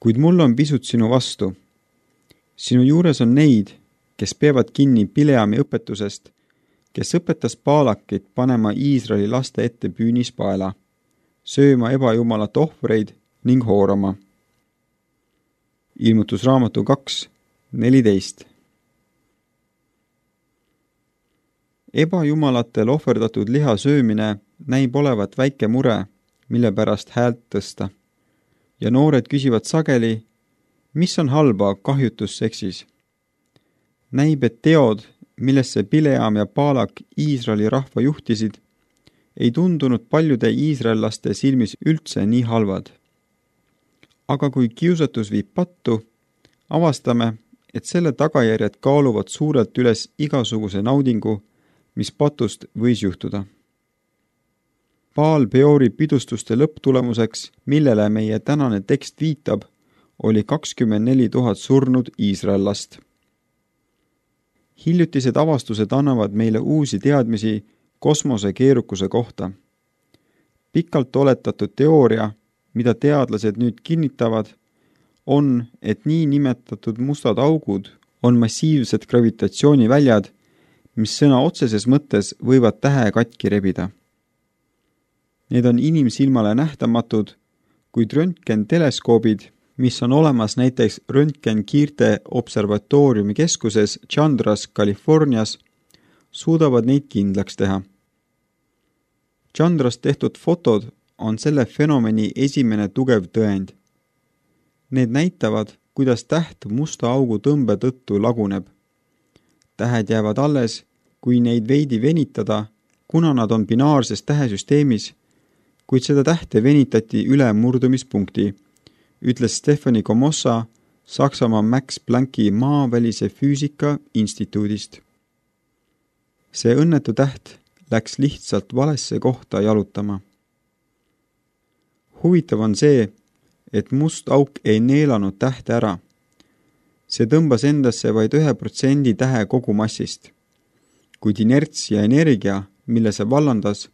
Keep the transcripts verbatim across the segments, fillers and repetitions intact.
Kuid mul on pisut sinu vastu. Sinu juures on neid, kes peavad kinni Bileami õpetusest, kes õpetas Baalakit panema Iisraeli laste ette püünispaela, sööma ebajumalat ohvreid ning hoorama. Ilmutusraamatu kaks neliteist. Ebajumalatel ohverdatud liha söömine näib olevat väike mure, mille pärast häält tõsta. Ja noored küsivad sageli, mis on halba kahjutusseksis. Näib, et teod, millesse Bileam ja Baalak Iisraeli rahva juhtisid, ei tundunud paljude iisraellaste silmis üldse nii halvad. Aga kui kiusatus viib pattu, avastame, et selle tagajärjed kaaluvad suurelt üles igasuguse naudingu, mis patust võis juhtuda. Baal Peori pidustuste lõpptulemuseks, millele meie tänane tekst viitab, oli kakskümmend neli tuhat surnud iisraellast. Hiljutised avastused annavad meile uusi teadmisi kosmose keerukuse kohta. Pikalt oletatud teooria, mida teadlased nüüd kinnitavad, on, et nii nimetatud mustad augud on massiivsed gravitatsiooniväljad, mis sõna otseses mõttes võivad tähe katki rebida. Need on inimsilmale nähtamatud, kuid röntgenteleskoobid, mis on olemas näiteks röntgenkiirte observatooriumi keskuses Chandras, Californias, suudavad neid kindlaks teha. Chandras tehtud fotod on selle fenomeni esimene tugev tõend. Need näitavad, kuidas täht musta augu tõmbe tõttu laguneb. Tähed jäävad alles, kui neid veidi venitada, kuna nad on binaarses tähesüsteemis, kuid seda tähte venitati üle murdumispunkti, ütles Stefani Komossa Saksamaa Max Plancki maavälise füüsika instituudist. See õnnetu täht läks lihtsalt valesse kohta jalutama. Huvitav on see, et must auk ei neelanud tähte ära. See tõmbas endasse vaid ühe protsendi tähe kogumassist, kuid inerts ja energia, mille see vallandas,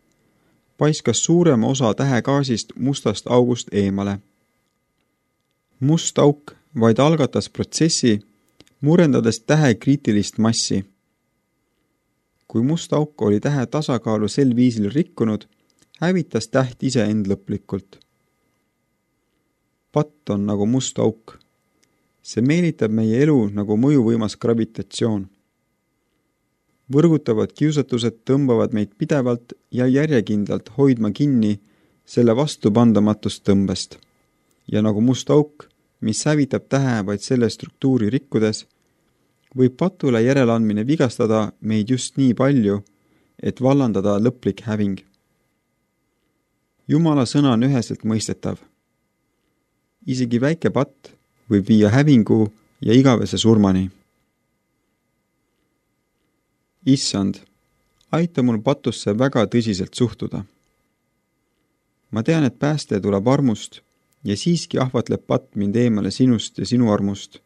paiskas suurema osa tähegaasist mustast august eemale. Must auk vaid algatas protsessi, murendades tähe kriitilist massi. Kui must auk oli tähe tasakaalu sel viisil rikkunud, hävitas täht ise end lõplikult. Patt on nagu must auk. See meelitab meie elu nagu mõjuvõimas gravitatsioon. Võrgutavad kiusatused tõmbavad meid pidevalt ja järjekindlalt hoidma kinni selle vastupandamatust tõmbest. Ja nagu must auk, mis hävitab tähe vaid selle struktuuri rikkudes, võib patule järeleandmine vigastada meid just nii palju, et vallandada lõplik häving. Jumala sõna on üheselt mõistetav. Isegi väike patt võib viia hävingu ja igavese surmani. Issand, aita mul patusse väga tõsiselt suhtuda. Ma tean, et pääste tuleb armust ja siiski ahvatleb patt mind eemale sinust ja sinu armust,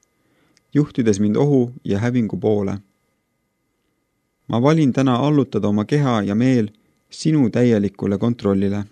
juhtides mind ohu ja hävingu poole. Ma valin täna allutada oma keha ja meel sinu täielikule kontrollile.